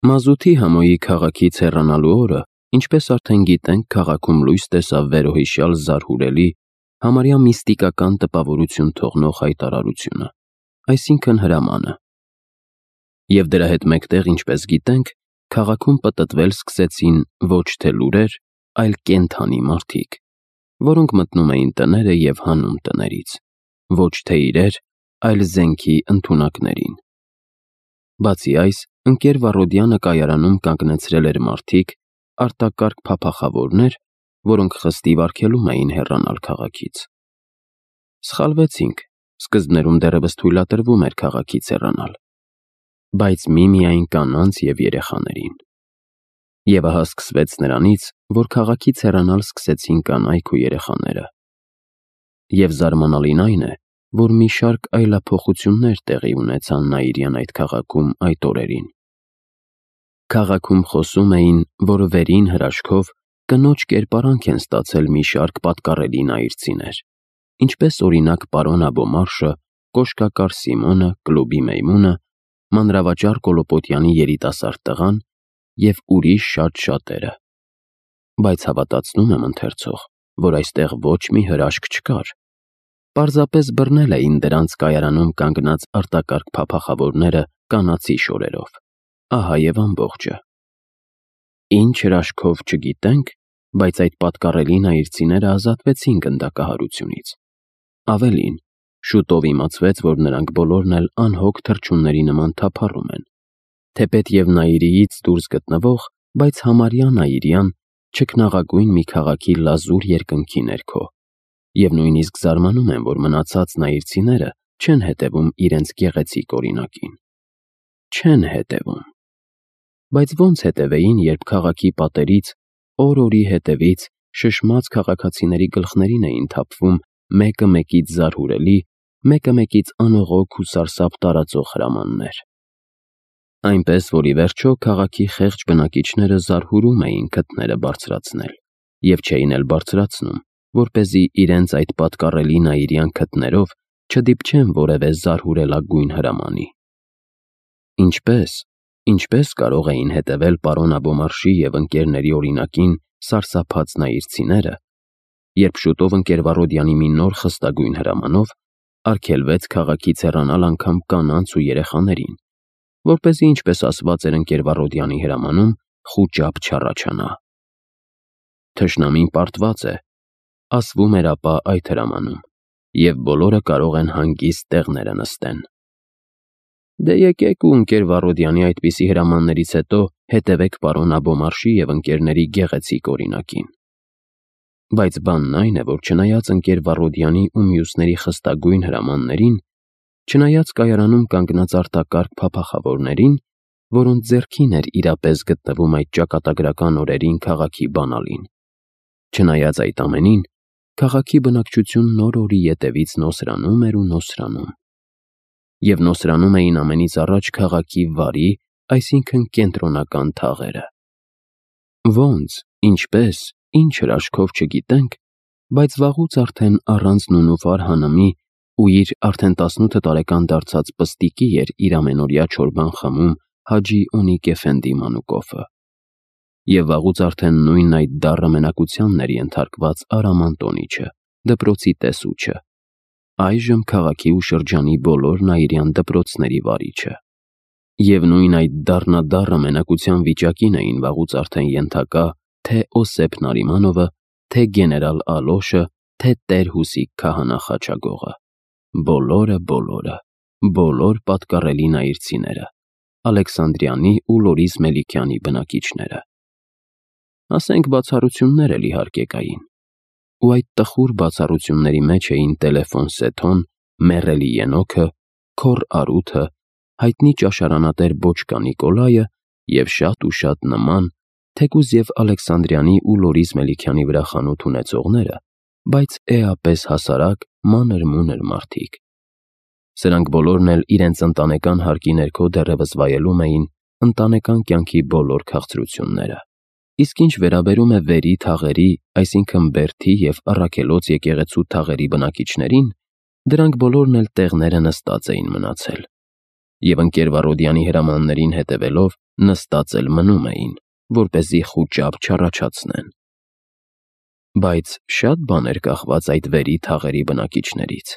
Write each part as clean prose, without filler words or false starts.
Մազութի համոյի քաղաքից հեռանալու օրը, ինչպես արդեն գիտենք, քաղաքում լույս տեսավ վերոհիշյալ զարհուրելի, համարյա միստիկական տպավորություն թողնող հայտարարությունը, այսինքն հրամանը։ Եվ դրա հետ մեկտեղ, ինչպես գիտենք, քաղաքում պտտվել սկսեցին ոչ թե լուրեր, այլ կենդանի մարդիկ, որոնք մտնում էին տները և հանում տներից, ոչ թե իրեր, այլ զենքի ընդունակներին։ Բացի այս, ընկեր Վառոդյանը կայարանում կանգնեցրել էր մարդիկ, արտակարգ փափախավորներ, որոնք խստիվ արգելում էին հեռանալ քաղաքից։ Սխալվեցինք, սկզբներում դեռևս թույլատրվում էր քաղաքից հեռանալ, բայց միմիայն կանանց և երեխաներին։ Եվ ահա սկսվեց նրանից, որ քաղաքից հեռանալ սկսեցին կանայք ու երեխաները։ Եվ զարմանալին այն է, որ մի շարք այլափոխություններ տեղի ունեցան Նաիրյան այդ քաղաքում այդ օրերին։ Քաղաքում խոսում էին, որ վերին հրաշքով կնոջ կերպարանք են ստացել մի շարք պատկառելի նայիրցիներ, ինչպես օրինակ պարոն Աբոմարշը, Կոշկակար Սիմոնը, Կլուբի Մեյմունը, մանրավաճառ Կոլոպոտյանի երիտասարդ տղան և ուրիշ շատ-շատերը։ Բայց հավատացնում եմ ընթերցող, որ այստեղ ոչ մի հրաշք չկար։ Պարզապես բռնել էին դրանց կայարանում կանգնած արտակարգ փափախավորները կանացի շորերով։ Ահա և ամբողջը։ Ինչ հրաշքով չգիտենք, բայց այդ պատկառելի նայիրցիները ազատվեցին գնդակահարությունից։ Ավելին, շուտով իմացվեց, որ նրանք բոլորն էլ անհոգ թռչունների նման թափառում են, թեպետև Նաիրիից դուրս գտնվող, բայց համարյա Նաիրյան, չքնաղագույն մի քաղաքի լազուր երկնքի ներքո, և նույնիսկ զարմանում են, որ մնացած նայիրցիները չեն հետևում իրենց գեղեցիկ օրինակին։ Չեն հետևում։ Բայց ո՞նց հետևեին, երբ քաղաքի պատերից, օր-օրի հետևից շշմած քաղաքացիների գլխներին էին թափվում մեկը մեկից զարհուրելի, մեկը մեկից անողոք ու սարսափ տարածող հրամաններ։ Այնպես, որ ի վերջո քաղաքի խեղճ բնակիչները զարհուրում էին քթները բարձրացնել և չէին էլ բարձրացնում, որպեսզի իրենց այդ պատկառելի Նաիրյան քթներով չդիպչեն որևէ զարհուրելագույն հրամանի։ Ինչպես կարող էին հետևել պարոն Աբոմարշի և ընկերների օրինակին սարսափած նայիրցիները, երբ շուտով ընկեր Վառոդյանի մի նոր խստագույն հրամանով արգելվեց քաղաքից հեռանալ անգամ կանանց ու երեխաներին, որպեսզի, ինչպես ասված էր ընկեր Վառոդյանի հրամանում, խուճապ չառաջանա։ Թշնամին պարտված է, ասվում էր ապա այդ հրամանում, և բոլորը կարող են հանգիստ տեղները նստեն։ Դե եկեք ու ընկեր Վառոդյանի այդպիսի հրամաններից հետո հետևեք պարոն Աբոմարշի և ընկերների գեղեցիկ օրինակին։ Բայց բանն այն է, որ չնայած ընկեր Վառոդյանի ու մյուսների խստագույն հրամաններին, չնայած կայարանում կանգնած արտակարգ փափախավորներին, որոնց ձեռքին էր իրապես գտնվում այդ ճակատագրական օրերին քաղաքի բանալին, չնայած այդ ամենին, քաղաքի բնակչությունն օր-օրի ետևից նոսրանում էր ու նոսրանում։ Եվ նոսրանում էին ամենից առաջ քաղաքի վարի, այսինքն կենտրոնական թաղերը։ Ոնց, ինչպես, ինչ հրաշքով չգիտենք, բայց վաղուց արդեն առանց նունուվար հանամի ու իր արդեն 18 տարեկան դարձած պստիկի էր իր ամենօրյա չորբան խմում Հաջի Օնիկ Էֆենդի մանուկովը։ Եվ վաղուց արդեն նույն այդ դառը մենակությանն էր ենթարկված Արամ Անտոնիչը, դպրոցի տեսուչը, այժմ քաղաքի ու շրջանի բոլոր նաիրյան դպրոցների վարիչը։ Եվ նույն այդ դառնադառը մենակության վիճակին էին վաղուց արդեն ենթակա թե Օսեփ Նարիմանովը, թե գեներալ Ալոշը, թե տեր Հուսիկ քահանա Խաչագողը։ Բոլոր պատկառելի նայիրցիները, Ալեքսանդրյանի ու Լորիս Մելիքյանի բնակիչները։ Ասենք բացառություններ էլ իհարկե կային, ու այդ տխուր բացառությունների մեջ էին տելեֆոն Սեթոն, մեռելի Ենոքը, քոռ Արութը, հայտնի ճաշարանատեր Բոչկա Նիկոլայը և շատ նման, թեկուզ և Ալեքսանդրյանի ու Լորիս Մելիքյանի վրա խանութ ունեցողները, բայց էապես հասարակ, մանր-մունր մարդիկ։ Սրանք բոլորն էլ իրենց ընտանեկան հարկի ներքո դեռևս վայելում էին ընտանեկան կյանքի բոլոր քաղցրությունները։ Իսկ ինչ վերաբերում է վերի թաղերի, այսինքն Բերդի և Առաքելոց եկեղեցու թաղերի բնակիչներին, դրանք բոլորն էլ տեղները նստած էին մնացել։ Եվ ընկեր Վառոդյանի հրամաններին հետևելով նստած էլ մնում էին, որպեսզի խուճապ չառաջացնեն։ Բայց շատ բան էր կախված այդ վերի թաղերի բնակիչներից,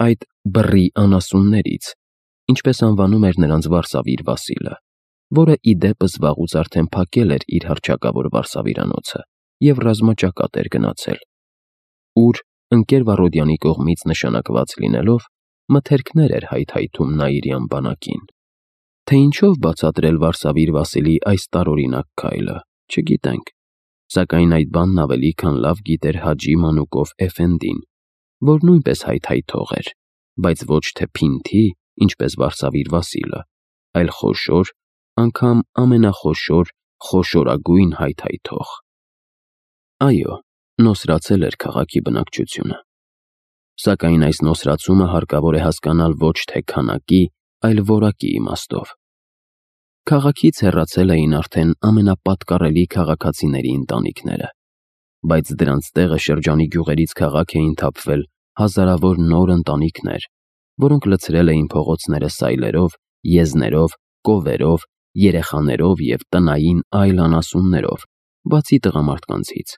այդ բռի անասուններից, ինչպես անվանում էր նրանց Վարսավիր Վասիլը, որը ի դեպս վաղուց արդեն փակել էր իր հռչակավոր վարսավիրանոցը և ռազմաճակատ էր գնացել, ուր, ընկեր Վարոդյանի կողմից նշանակված լինելով, մթերքներ էր հայթայթում Նաիրյան բանակին։ Թե ինչով բացատրել Վարսավիր Վասիլի այս տարօրինակ քայլը, չգիտենք, սակայն այդ բանն ավելի քան լավ գիտեր Հաջի Մանուկով Էֆենդին, որ նույնպես հայթայթող էր, բայց ոչ թե փինթի, ինչպես Վարսավիր Վասիլը, այլ խոշոր, անգամ ամենախոշոր, խոշորագույն հայթայթող։ Այո, նոսրացել էր քաղաքի բնակչությունը։ Սակայն այս նոսրացումը հարկավոր է հասկանալ ոչ թե քանակի, այլ որակի իմաստով։ Քաղաքից հեռացել էին արդեն ամենապատկառելի քաղաքացիների ընտանիքները, բայց դրանց տեղը շրջանի գյուղերից քաղաք էին թափվել հազարավոր նոր ընտանիքներ, որոնք լցրել էին փողոցները սայլերով, եզներով, կովերով, երեխաներով և տնային այլ անասուններով, բացի տղամարդկանցից,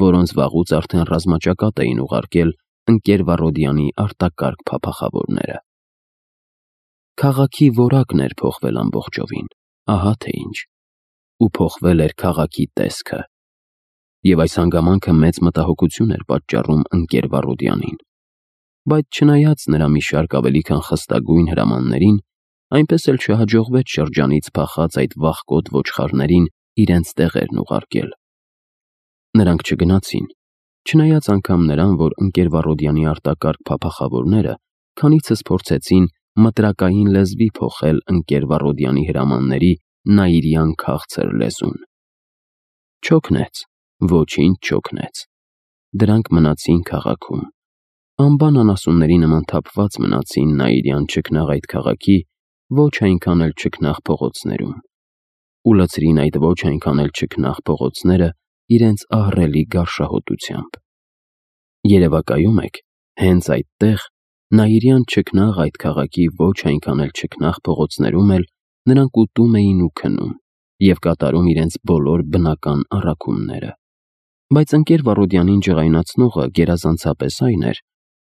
որոնց վաղուց արդեն ռազմաճակատ էին ուղարկել ընկեր Վարոդյանի արտակարգ փափախավորները։ Քաղաքի որակն էր փոխվել ամբողջովին, ահա թե ինչ, ու փոխվել էր քաղաքի տեսքը, և այս հանգամանքը մեծ մտահոգություն էր պատճառում ընկեր Վարոդյանին, բայց չնայած նրա մի շարք ավելի քան խստագույն հրամաններին, այնպես էլ չհաջողվեց շրջանից փախած այդ վախկոտ ոչխարներին իրենց տեղերն ուղարկել։ Նրանք չգնացին, չնայած անգամ նրան, որ ընկեր Վարոդյանի արտակարգ փափախավորները քանիցս փորձեցին մտրակային լեզվի փոխել ընկեր Վարոդյանի հրամանների նաիրյան քաղցր լեզուն։ Չօգնեց, ոչինչ չօգնեց։ Դրանք մնացին քաղաքում, անբան անասունների նման թափված մնացին նաիրյան չքնաղ այդ քաղաքի ոչ այնքան էլ չքնաղ փողոցներում, ու լցրին այդ ոչ այնքան էլ չքնաղ փողոցները իրենց ահռելի գարշահոտությամբ։ Երևակայում եք, հենց այդտեղ, նաիրյան չքնաղ այդ քաղաքի ոչ այնքան էլ չքնաղ փողոցներում էլ նրանք ուտում էին ու քնում և կատարում իրենց բոլոր բնական առաքումները։ Բայց ընկեր Վարոդյանին ջղայնացնողը գերազանցապես այն էր,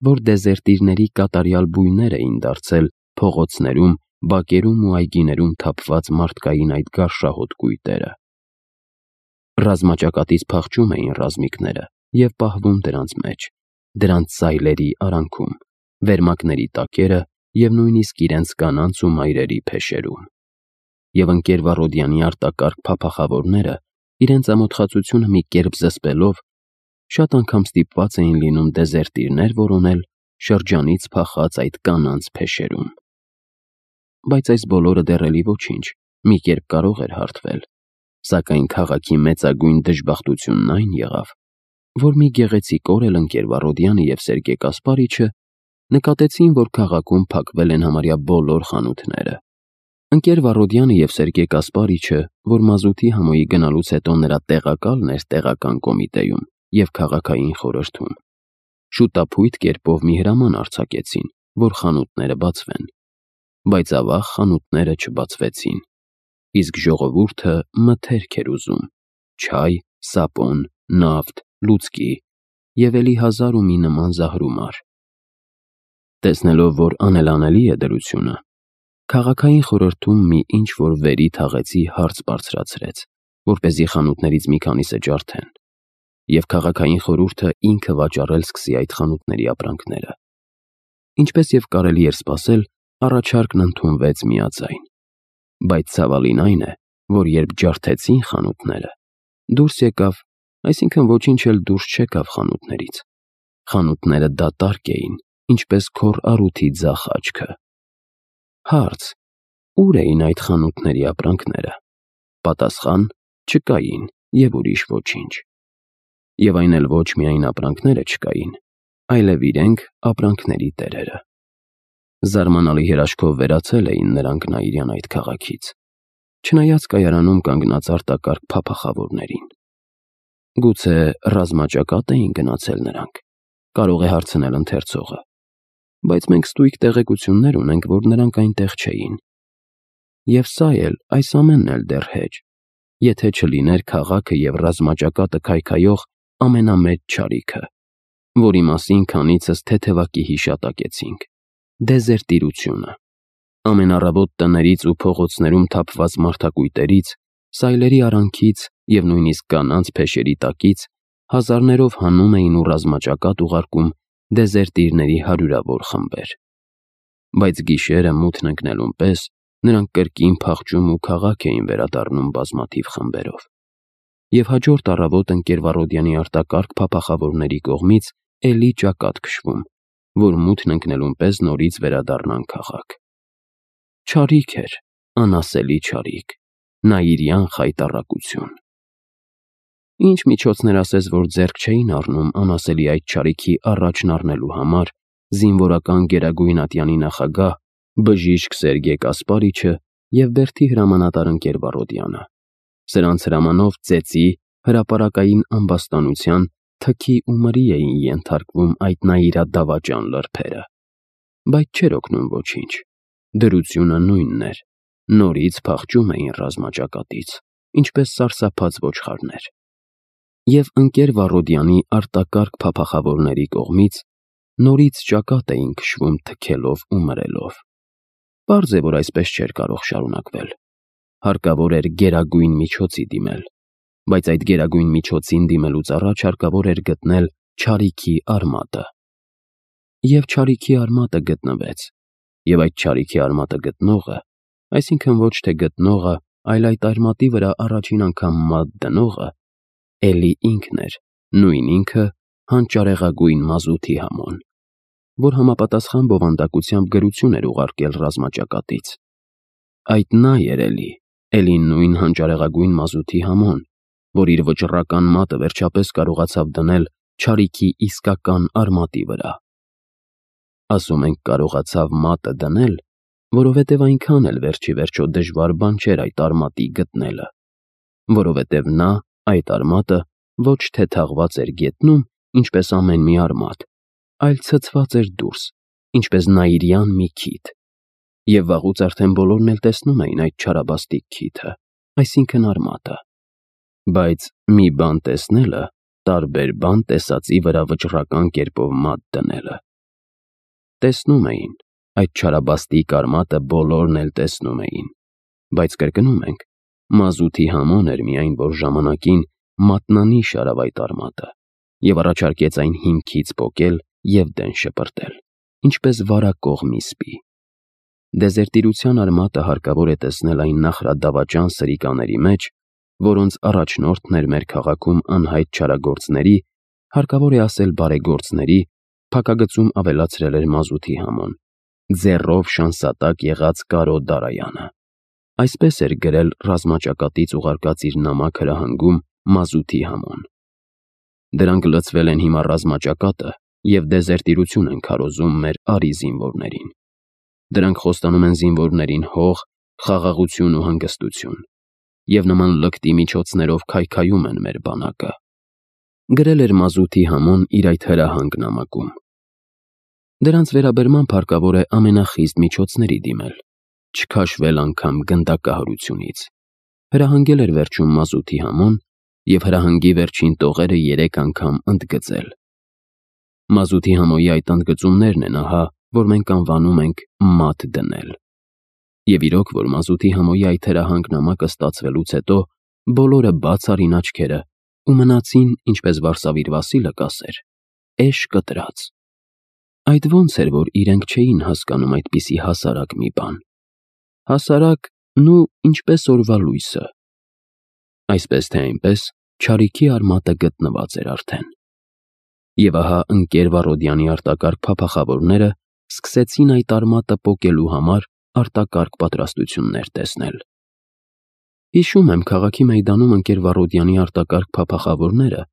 որ դեզերտիրների կատարյալ բույներ էին դարձել փողոցներում, բակերում ու այգիներում թափված մարդկային այդ գարշահոտ կույտերը։ Ռազմաճակատից փախչում էին ռազմիկները և պահվում դրանց մեջ, դրանց սայլերի արանքում, վերմակների տակերը և նույնիսկ իրենց կանանց ու մայրերի փեշերում։ Եվ ընկեր Վարոդյանի արտակարգ փափախավորները, իրենց ամոթխածությունը մի կերպ զսպելով, շատ անգամ ստիպված էին լինում դեզերտիրներ որոնել շրջանից փախած այդ կանանց փեշերում։ Բայց այս բոլորը դեռ էլի ոչինչ, մի կերպ կարող էր հարթվել, սակայն քաղաքի մեծագույն դժբախտությունն այն եղավ, որ մի գեղեցիկ օր էլ ընկեր Վարոդյանը և Սերգե Կասպարիչը նկատեցին, որ քաղաքում փակվել են համարյա բոլոր խանութները։ Ընկեր Վարոդյանը և Սերգե Կասպարիչը, որ մազութի համոյի գնալուց հետո նրա տեղակալն էր տեղական կոմիտեում և քաղաքային խորհրդում, շուտափույթ կերպով մի հրաման արձակեցին, որ խանութները բացվեն, բայց ավաղ խանութները չբացվեցին, իսկ ժողովուրդը մթերք էր ուզում, չայ, սապոն, նավթ, լուցկի և էլի հազար ու մի նման զահրումար։ Տեսնելով, որ անելանելի է դրությունը, քաղաքային խորհրդում մի ինչ-որ վերի թաղեցի հարց բարձրացրեց, որպեսզի խանութներից մի քանիսը ջարդեն, և քաղաքային խորհուրդը ինքը վաճառել սկսի այդ խանութների ապրանքները։ Ինչպես և կարելի էր սպասել, առաջարկն ընդունվեց միաձայն, բայց ցավալին այն է, որ երբ ջարդեցին խանութները, դուրս եկավ, այսինքն ոչինչ էլ դուրս չեկավ խանութներից։ Խանութները դատարկ էին, ինչպես քոռ առութի ձախ աչքը։ Հարց. ուր էին այդ խանութների ապրանքները։ Պատասխան. չկային և ուրիշ ոչինչ։ Եվ այն էլ ոչ միայն ապրանքները չկային, այլև իրենք ապրանքների տերերը։ Զարմանալի հրաշքով վերացել էին նրանք Նաիրյան այդ քաղաքից, չնայած կայարանում կանգնած արտակարգ փափախավորներին։ Գուցե ռազմաճակատ էին գնացել նրանք, կարող է հարցնել ընթերցողը, բայց մենք ստույգ տեղեկություններ ունենք, որ նրանք այնտեղ չէին։ Եվ սա էլ, այս ամենն էլ դեռ հեչ, եթե չլիներ քաղաքը և ռազմաճակատը քայքայող ամենամեծ չարիքը, որի մասին քանիցս թեթևակի հիշատակեցինք՝ դեզերտիրությունը։ Ամենառավոտ տներից ու փողոցներում թափված մարդակույտերից, սայլերի արանքից և նույնիսկ կանանց փեշերի տակից հազարներով հանում էին ու ռազմաճակատ ուղարկում դեզերտիրների հարյուրավոր խմբեր։ Բայց գիշերը մութն ընկնելուն պես նրանք կրկին փախչում ու քաղաք էին վերադառնում բազմաթիվ խմբերով։ Եվ հաջորդ առավոտ Ընկերվառոդյանի արտակարգ փափախավորների կողմից էլի ճակատ քշվում, որ մութն ընկնելուն պես նորից վերադառնան քաղաք։ Չարիք էր, անասելի չարիք, նայիրյան խայտառակություն։ Ինչ միջոցներ ասես, որ ձեռք չէին առնում անասելի այդ չարիքի առաջն առնելու համար զինվորական Գերագույն ատյանի նախագահ բժիշկ Սերգեյ Կասպարիչը և Բերդի հրամանատար Ընկերվառոդյանը։ Սրանց հրամանով ծեծի, հրապարակային ամբաստանության, թքի ու մրի էին ենթարկվում այդ նայիրադավաճան լրբերը։ Բայց չէր օգնում ոչինչ, դրությունը նույնն էր, նորից փախչում էին ռազմաճակատից, ինչպես սարսափած ոչխարներ։ Եվ Ընկերվառոդյանի արտակարգ փափախավորների կողմից նորից ճակատ էին քշվում թքելով ու մրելով։ Պարզ է, որ այսպես չէր կարող շարունակվել։ Հարկավոր էր գերագույն միջոցի դիմել, բայց այդ գերագույն միջոցին դիմելուց առաջ հարկավոր էր գտնել չարիքի արմատը։ Եվ չարիքի արմատը գտնվեց, և այդ չարիքի արմատը գտնողը, այսինքն ոչ թե գտնողը, այլ այդ արմատի վրա առաջին անգամ մատ դնողը, էլի ինքն էր, նույն ինքը հանճարեղագույն մազութի Համոն, որ համապատասխան բովանդակությամբ գրություն էր ուղարկել ռազմաճակատից։ Այդ նա էր էլի նույն հանճարեղագույն մազութի Համոն, որ իր վճռական մատը վերջապես կարողացավ դնել չարիքի իսկական արմատի վրա։ Ասում ենք կարողացավ մատը դնել, որովհետև այնքան էլ վերջիվերջո դժվար բան չէր այդ արմատի գտնելը, որովհետև նա այդ արմատը ոչ թե թաղված էր գետնում, ինչպես ամեն մի արմատ, այլ ցցված էր դուրս, ինչպես նայիրյան մի քիթ, և վաղուց արդեն բոլորն էլ տեսնում էին այդ չարաբաստիկ քիթը, այսինքն արմատը։ Բայց մի բան տեսնելը տարբեր բան տեսածի վրա վճռական կերպով մատ դնելը։ Տեսնում էին, այդ չարաբաստիկ արմատը բոլորն էլ տեսնում էին, բայց կրկնում ենք, մազութի Համոն էր միայն, որ ժամանակին մատնանիշ արավ այդ արմատը և առաջարկեց այն հիմքից պոկել և դեն շպրտել, ինչպես վարակող մի սպի։ Դեզերտիրության արմատը հարկավոր է տեսնել այն նախրադավաճան սրիկաների մեջ, որոնց առաջնորդն էր մեր քաղաքում անհայտ չարագործների, հարկավոր է ասել բարեգործների, փակագծում ավելացրել էր մազութի Համոն, ձեռով շանսատակ եղած Կարո Դարայանը։ Այսպես էր գրել ռազմաճակատից ուղարկած իր նամակ հրահանգում մազութի Համոն։ Դրանք լցվել են հիմա ռազմաճակատը և դեզերտիրություն են քարոզում մեր արի զինվորներին։ Դրանք խոստանում են զինվորներին հող, խաղաղություն ու հանգստություն, և նման լկտի միջոցներով քայքայում են մեր բանակը։ Գրել էր մազութի Համոն իր այդ հրահանգ նամակում։ Դրանց վերաբերմամբ հարկավոր է ամենախիստ միջոցների դիմել, չքաշվել անգամ գնդակահարությունից։ Հրահանգել էր վերջում մազութի Համոն և հրահանգի վերջին տողերը 3 անգամ ընդգծել։ Մազութի Համոյի այդ ընդգծումներն են ահա, որ մենք անվանում ենք մատ դնել։ Եվ իրոք, որ մազութի Համոյի այդ հրահանգ նամակը ստացվելուց հետո բոլորը բաց արին աչքերը ու մնացին, ինչպես Վարսավիր Վասիլը կասեր, էշ կտրած։ Այդ ոնց էր, որ իրենք չէին հասկանում այդպիսի հասարակ մի բան։ Հասարակ, ինչպես օրվա լույսը։ Այսպես թե այնպես, չարիքի արմատը գտնված էր արդեն։ Եվ ահա Ընկերվառոդյանի արտակարգ փափախավորները սկսեցին այդ արմատը պոկելու համար արտակարգ պատրաստություններ տեսնել։ Հիշում եմ, քաղաքի մեյդանում Ընկերվառոդյանի արտակարգ փափախավորները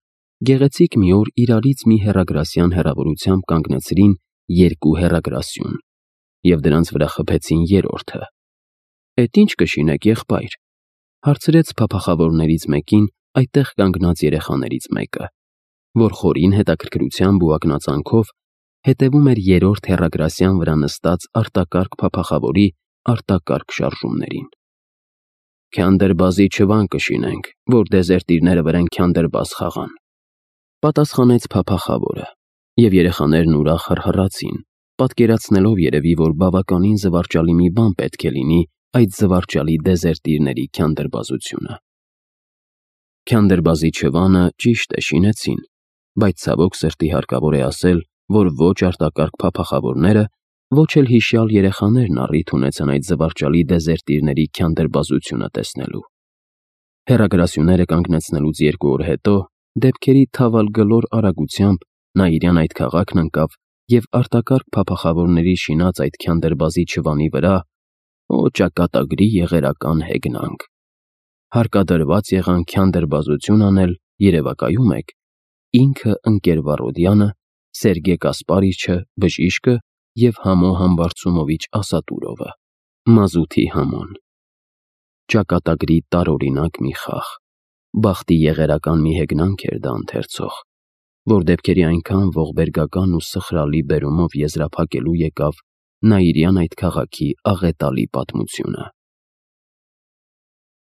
գեղեցիկ մի օր իրարից մի հեռագրասյան հեռավորությամբ կանգնեցրին 2 հեռագրասյուն և դրանց վրա խփեցին 3-րդը։ «Էդ ինչ կշինեք, եղբայր», հարցրեց փափախավորներից մեկին այդտեղ կանգնած երեխաներից մեկը, որ խորին հետաքրքրությամբ ու ակնածանքով հետևում էր 3-րդ հեռագրասյան վրա նստած արտակարգ փափախավորի արտակարգ շարժումներին։ Քյանդրբազի չվան կշինենք, որ դեզերտիրները վրեն քյանդրբազ խաղան, պատասխանեց փափախավորը, եւ երեխաներն ուրախ հռհռացին, պատկերացնելով երևի, որ բավականին զվարճալի մի բան պետք է լինի այդ զվարճալի դեզերտիրների քյանդրբազությունը։ Քյանդրբազի չվանը ճիշտ է շինեցին, բայց ցավոք սրտի հարկավոր է ասել, որ ոչ արտակարգ փափախավորները, ոչ էլ հիշյալ երեխաներն առիթ ունեցան այդ զվարճալի դեզերտիրների քյանդրբազությունը տեսնելու։ Հեռագրասյուները կանգնեցնելուց 2 օր հետո, դեպքերի թավալգլոր արագությամբ Նաիրյան այդ քաղաքն ընկավ եւ արտակարգ փափախավորների շինած այդ քյանդրբազի չվանի վրա, օ ճակատագրի եղերական հեգնանք։ Հարկադրված եղան քյանդրբազություն անել, երևակայում եք, ինքը ընկեր Վարոդյանը, Սերգե Կասպարիչը, բժիշկը եւ Համո Համբարձումովիչ Ասատուրովը, մազութի Համոն։ Ճակատագրի տարօրինակ մի խաղ, բախտի եղերական մի հեգնանք էր դա ընթերցող, որ դեպքերի այնքան ողբերգական ու սխրալի բերումով եզրափակելու եկավ Նաիրյան այդ քաղաքի աղետալի պատմությունը։